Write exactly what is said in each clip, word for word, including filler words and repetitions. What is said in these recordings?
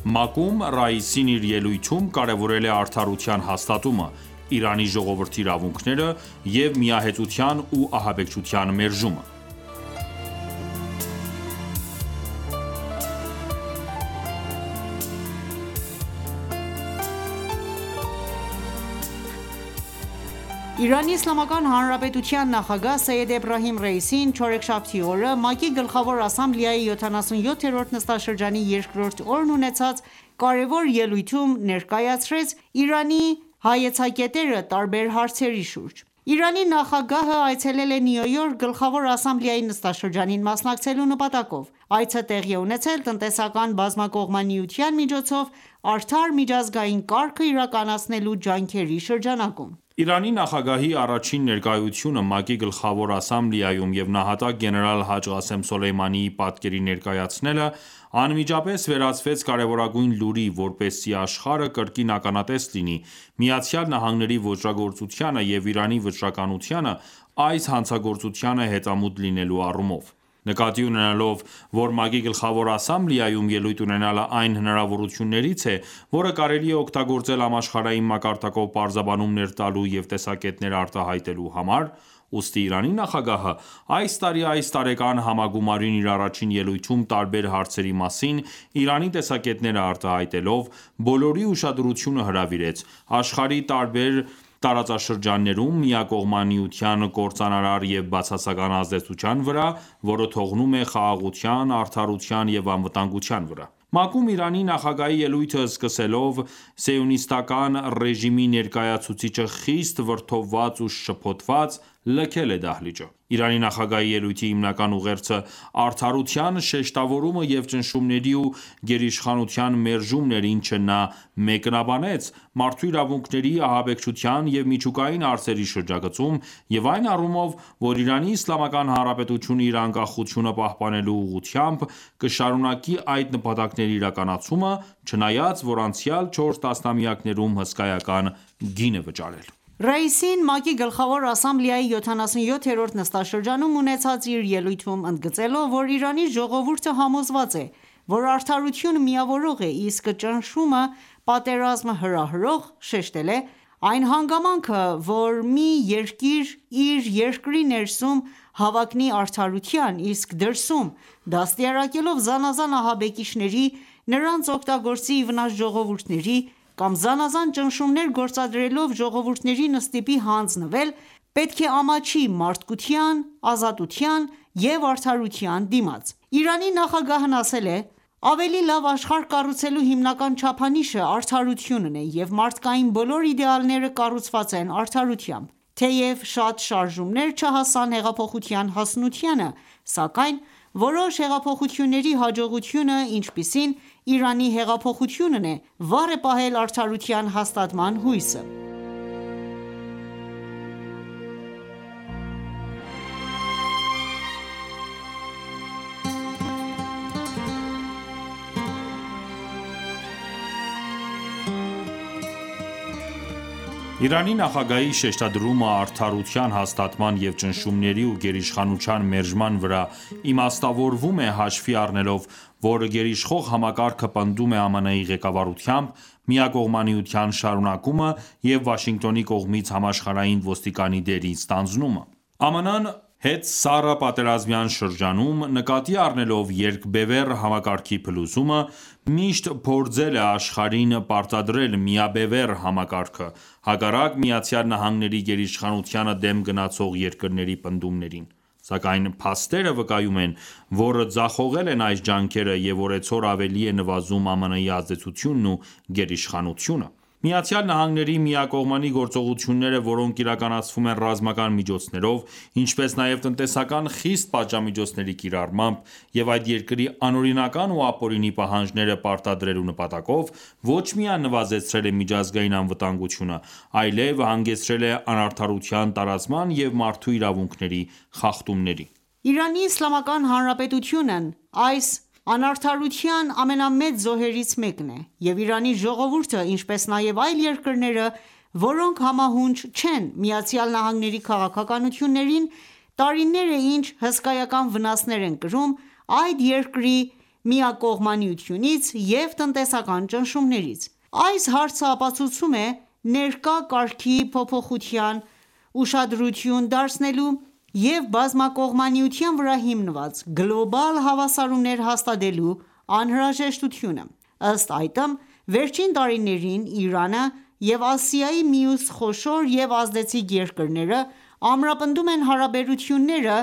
ՄԱԿ-ում Ռաիսին իր ելույթում կարևորել է արդարության հաստատումը, Իրանի ժողովրդի իրավունքները և միահեծության ու ահաբեկչության մերժումը: Իրանի Իսլամական Հանրապետության նախագահ Սեյեդ Էբրահիմ Ռայիսին չորեքշաբթի օրը ՄԱԿ-ի Գլխավոր ասամբլեայի յոթանասունյոթերորդ նստաշրջանի երկրորդ օրն ունեցած կարևոր ելույթում ներկայացրեց Իրանի հայեցակետերը տարբեր հարցերի շուրջ: Իրանի նախագահը այցելել է Նյու Յորք Գլխավոր ասամբլեայի նստաշրջանին մասնակցելու նպատակով: Այցը տեղի է ունեցել տնտեսական բազմակողմանիության միջոցով արդար միջազգային կարգը իրականացնելու ջանքերի շրջանակում: Իրանի նախագահի առաջին ներկայությունը ՄԱԿ-ի Գլխավոր ասամբլեայում և նահատակ գեներալ Հաջ Ղասեմ Սոլեյմանիի պատկերին ներկայացնելը անմիջապես վերածվեց կարևորագույն լուրի, որպեսզի աշխարհը կրկին ականատես լինի ԱՄՆ-ի ոճրագործությանը և Իրանի վճռականությանը այս հանցագործությանը հետամուտ լինելու առումով: Նկատի ունենալով, որ ՄԱԿ-ի Գլխավոր ասամբլեայում ելույթ ունենալը այն հնարավորություններից է, որը կարելի է օգտագործել համաշխարհային մակարդակով պարզաբանումներ տալու և տեսակետներ արտահայտելու համար, ուստի Իրանի նախագահը այս տարի այս տարեկան համագումարին իր առաջին ելույթում տարբեր հարցերի մասին Իրանի տեսակետները արտահայտելով, բոլորի ուշադրությունը հրավիրեց աշխարհի տարբեր տարածաշրջաններում միակողմանիության կործանարար և բացասական ազդեցության վրա, որը թողնում է խաղաղության, արդարության և անվտանգության վրա: ՄԱԿ-ում Իրանի նախագահի ելույթը սկսելով Սիոնիստական ռեժիմի ներկայացուցիչը խիստ վրդովված ու շփոթված լքել է դահլիճը: Իրանի նախագահի ելույթի հիմնական ուղերձը արդարության շեշտավորումը և ճնշումների ու գերիշխանության մերժումն էր, ինչը նա մեկնաբանեց մարդու իրավունքների, ահաբեկչության և միջուկային հարցերի շրջագծում և այն առումով, որ Իրանի Իսլամական Հանրապետությունը իր անկախությունը պահպանելու ուղղությամբ կշարունակի այդ նպատակների իրականացումը, չնայած որ անցյալ չորս տասնամյակներում հսկայական գին է վճարել: Ռայիսին ՄԱԿ-ի Գլխավոր ասամբլեայի յոթանասունյոթերորդ նստաշրջանում ունեցած իր ելույթում ընդգծելով, որ Իրանի ժողովուրդը համոզված է, որ արդարությունը միավորող է, իսկ ճնշումը պատերազմ հրահրող, շեշտել է.«Այն հանգամանքը, որ մի երկիր իր երկրի ներսում հավակնի արդարության, իսկ դրսում դաստիարակելով զանազան ահաբեկիչների, նրանց օգտագործի ի վնաս ժողովուրդների, կամ զանազան ճնշումներ գործադրելով ժողովուրդներին ստիպի հանձնվել, պետք է ամաչի մարդկության, ազատության և արդարության դիմաց»: Իրանի նախագահն ասել է.«Ավելի լավ աշխարհ կառուցելու հիմնական չափանիշը արդարությունն է և մարդկային բոլոր իդեալները կառուցված են արդարությամբ: Թեև շատ շարժումներ չհասան հեղափոխության հասունությանը, սակայն որոշ հեղափոխությունների հաջողությունը, ինչպիսին Իրանի հեղափոխությունն է, վառ է պահել արդարության հաստատման հույսը»: Իրանի նախագահի շեշտադրումը արդարության հաստատման և ճնշումների ու գերիշխանության մերժման վրա իմաստավորվում է հաշվի առնելով, որ գերիշխող համակարգը պնդում է ԱՄՆ-ի ղեկավարությամբ միակողմանիության շարունակումը և Վաշինգտոնի կողմից համաշխարհային ոստիկանի դերի ստանձնումը: ԱՄՆ-ն հետսառըպատերազմյան շրջանում, նկատի առնելով երկբևեռ համակարգի փլուզումը, միշտ փորձել է աշխարհին պարտադրել միաբևեռ համակարգը, հակառակ ԱՄՆ-ի գերիշխանությանը դեմ գնացող երկրների պնդումներին: Սակայն փաստերը վկայում են, որ ձախողել են այս ջանքերը և օրեցօր ավելի է նվազում ԱՄՆ-ի ազդեցությունն ու գերիշխանությունը: ԱՄՆ-ի միակողմանի գործողությունները, որոնք իրականացվում են ռազմական միջոցներով, ինչպես նաև տնտեսական խիստ պատժամիջոցների կիրառմամբ և այդ երկրի անօրինական ու ապօրինի պահանջները պարտադրելու նպատակով, ոչ միայն նվազեցրել է միջազգային անվտանգությունը, այլև հանգեցրել է անարդարության տարածման և մարդու իրավունքների խախտումների: Իրանի Իսլամական Հանրապետությունն այս անարդարության ամենամեծ զոհերից մեկն է և Իրանի ժողովուրդը, ինչպես նաև այլ երկրները, որոնք համահունչ չեն ԱՄՆ-ի քաղաքականություններին, տարիներ է ինչ հսկայական վնասներ են կրում այդ երկրի միակողմանիությունից և տնտեսական ճնշումներից: Այս հարցը ապացուցում է ներկա կարգի փոփոխության, ուշադրություն դարձնելու և բազմակողմանիության վրա հիմնված գլոբալ հավասարումներ հաստատելու անհրաժեշտությունը: Ըստ այդմ, վերջին տարիներին Իրանը և Ասիայի մյուս խոշոր և ազդեցիկ երկրները ամրապնդում են հարաբերությունները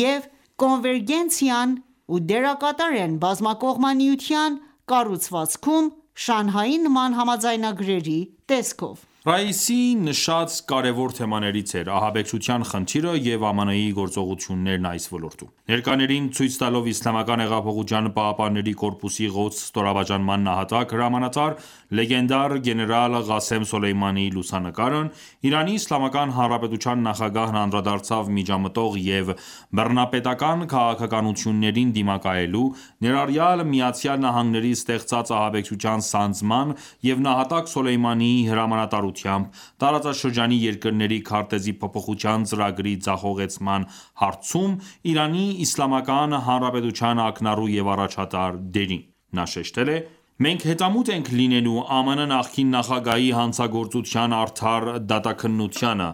և կոնվերգենցիան ու դերակատար են բազմակողմանիության կառուցվածքում Շանհայի նման համաձայնագրերի տեսքով: Ռաիսիի նշած կարևոր թեմաներից էր ահաբեկչության խնդիրը և ԱՄՆ-ի գործողություններն այս ոլորտում: Ներկաներին ցույց տալով Իսլամական հեղափոխության պահապանների կորպուսի կոդս ստորաբաժանման նահատակ հրամանատար լեգենդար գեներալ Ղասեմ Սոլեյմանիի լուսանկարն Իրանի Իսլամական Հանրապետության նախագահն անդրադարձավ միջամտող և բռնապետական քաղաքականություններին դիմակայելու, ներառյալ ԱՄՆ-ի ստեղծած ահաբեկչության սանձման և նահատակ Սոլեյմանիի հրամանատարությամբ տարածաշրջանի երկրների քարտեզի փոփոխության ծրագրի ձախողեցման հարցում Իրանի Իսլամական Հանրապետության ակնառու և առաջատար դերին: Նա շեշտել է.«Մենք հետամուտ ենք լինելու ԱՄՆ նախկին նախագահի հանցագործության արդար դատաքննությանը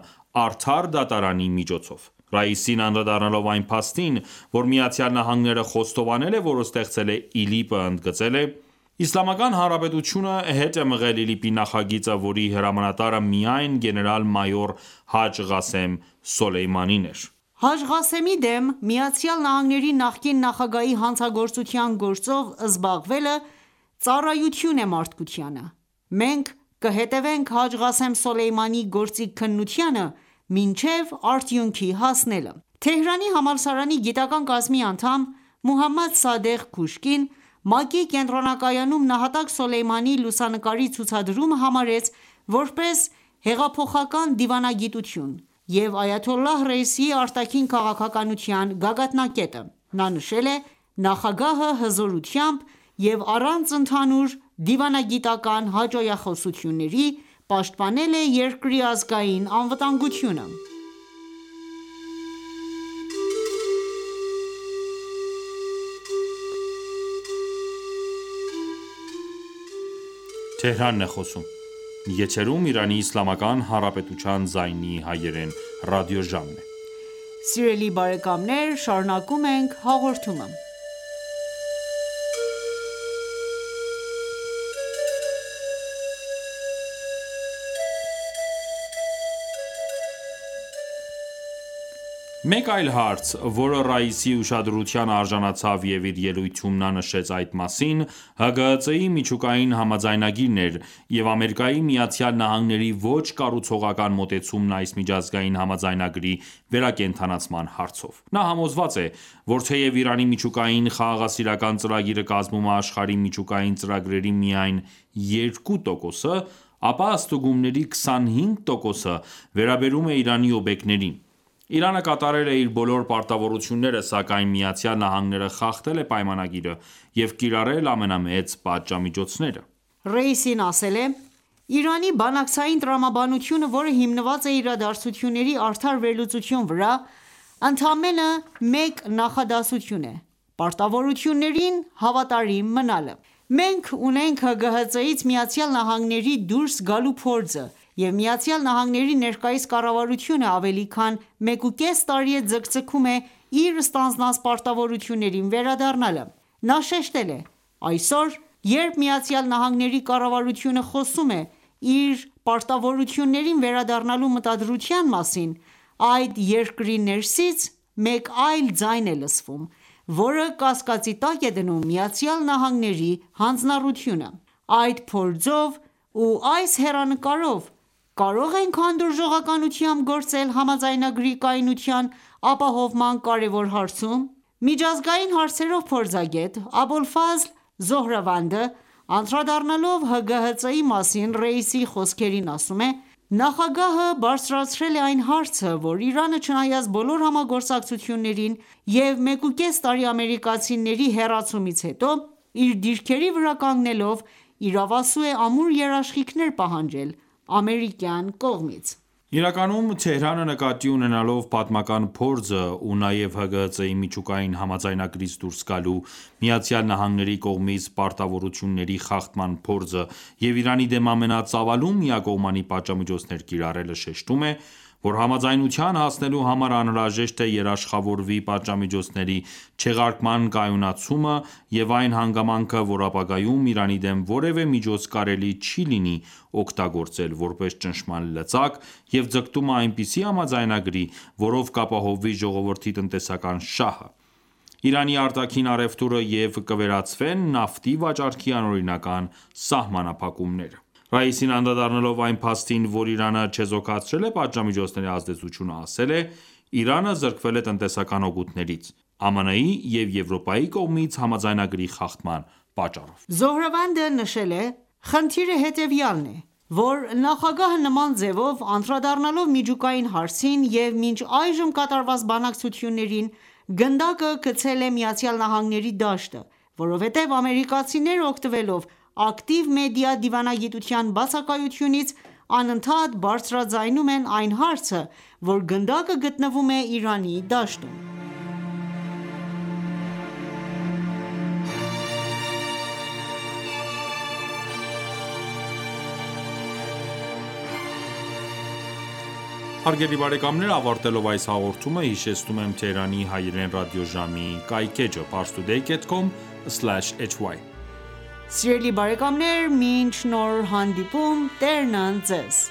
արդար դատարանի միջոցով»: Ռաիսին անդրադառնալով այն փաստին, որ ԱՄՆ-ը խոստովանել է, որ ստեղծել է ԻԼԻՊ-ը, ընդգծել է.«Իսլամական Հանրապետությունը հետ է մղել ԻԼԻՊ-ի նախագիծը, որի հրամանատարը միայն գեներալ-մայոր Հաջ Ղասեմ Սոլեյմանին էր»: Հաջ Ղասեմի դեմ ԱՄՆ նախկին նախագահի հանցագործության գործով զբաղվելը ծառայություն է մարդկությանը: Մենք կհետևենք Հաջ Ղասեմ Սոլեյմանիի գործի քննությանը մինչև արդյունքի հասնելը: Թեհրանի համալսարանի գիտական կազմի անդամ Մոհամմադ Սադեղ Քուշկին ՄԱԿ-ի կենտրոնակայանում նահատակ Սոլեյմանիի լուսանկարի ցուցադրումը համարեց որպես հեղափոխական դիվանագիտություն և այաթոլլահ Ռայիսիի արտաքին քաղաքականության գագաթնակետը: Նա նշել է.«Նախագահը հզորությամբ և առանց ընդհանուր դիվանագիտական հաճոյախոսությունների պաշտպանել է երկրի ազգային անվտանգությունը»: Մեկ այլ հարց, որը Ռաիսի ուշադրության արժանացավ և իր ելույթում նա նշեց այդ մասին, ՀԳՀԾ-ի միջուկային համաձայնագիրն էր և ԱՄՆ-ի ոչ կառուցողական մոտեցումն այս միջազգային համաձայնագրի վերակենդանացման հարցով: Նա համոզված է, որ թեև Իրանի միջուկային խաղաղասիրական ծրագիրը կազմում է աշխարհի միջուկային ծրագրերի միայն երկու տոկոսը, ապա ստուգումների քսանհինգ տոկոսը վերաբերում է Իրանի օբյեկտներին: Իրանը կատարել է իր բոլոր պարտավորությունները, սակայն ԱՄՆ-ը խախտել է պայմանագիրը և կիրառել ամենամեծ պատժամիջոցները: Ռաիսին ասել է.«Իրանի բանակցային տրամաբանությունը, որը հիմնված է իրադարձությունների արդար վերլուծության վրա, ընդամենը մեկ նախադասություն է՝ պարտավորություններին հավատարիմ մնալը: Մենք ունենք ՀԳՀԾ-ից ԱՄՆ դուրս գալու փորձը և ԱՄՆ ներկայիս կառավարությունը ավելի քան մեկուկես տարի է ձգձգում է իր ստանձնած պարտավորություններին վերադառնալը: Նա շեշտել է.«Այսօր, երբ ԱՄՆ կառավարությունը խոսում է իր պարտավորություններին վերադառնալու մտադրության մասին, այդ երկրի ներսից մեկ այլ ձայն է լսվում, որը կասկածի տակ է դնում ԱՄՆ-ի հանձնառությունը: Այդ փորձով ու այս հեռանկարով կարո՞ղ ենք հանդուրժողականությամբ գործել համաձայնագրի կայունության ապահովման կարևոր հարցում»: Միջազգային հարցերով փորձագետ Աբոլֆազլ Զոհրավանդը անդրադառնալով ՀԳՀԾ-ի մասին Ռաիսի խոսքերին ասում է.«Նախագահը բարձրացրել է այն հարցը, որ Իրանը չնայած բոլոր համագործակցություններին և մեկուկես տարի ամերիկացիների հեռացումից հետո, իր դիրքերի վրա կանգնելով իրավասու է ամուր երաշխիքներ պահանջել ամերիկյան կողմից»: Իրականում Թեհրանը նկատի ունենալով պատմական փորձը ու նաև ՀԳՀԾ-ի միջուկային համաձայնագրից դուրս գալու, ԱՄՆ-ի կողմից պարտավորությունների խախտման փորձը և Իրանի դեմ ամենածավալուն միակողմանի պատժամիջոցներ կիրառելը, շեշտում է, որ համաձայնության հասնելու համար անհրաժեշտ է երաշխավորվի պատժամիջոցների չեղարկման կայունացումը և այն հանգամանքը, որ ապագայում Իրանի դեմ որևէ միջոց կարելի չի լինի օգտագործել, որպես ճնշման լծակ և ձգտումը այնպիսի համաձայնագրի, որով կապահովվի ժողովրդի տնտեսական շահը, Իրանի արտաքին առևտուրը և կվերացվեն նավթի վաճառքի անօրինական սահմանափակումները: Ռաիսին անդրադառնալով այն փաստին, որ Իրանը չեզոքացրել է պատժամիջոցների ազդեցությունը, ասել է.«Իրանը զրկվել է տնտեսական օգուտներից՝ ԱՄՆ-ի և Եվրոպայի կողմից համաձայնագրի խախտման պատճառով»: Զոհրավանդը նշել է.«Խնդիրը հետևյալն է, որ նախագահը նման ձևով անդրադառնալով միջուկային հարցին և մինչ այժմ կատարված բանակցություններին, գնդակը գցել է ԱՄՆ-ի դաշտը, որովհետև ամերիկացիները օգտվելով ակտիվ մեդիա դիվանագիտության բացակայությունից, անընդհատ բարձրաձայնում են այն հարցը, որ գնդակը գտնվում է Իրանի դաշտում»: Հարգելի բարեկամներ ավարտելով այս հաղորդումը հիշեցնում եմ Թեհրանի հայրեն ռադիոժամի կայքէջը parstoday dot com slash h y: Սիրելի բարեկամներ մինչ նոր հանդիպում Տերն ընդ Ձեզ: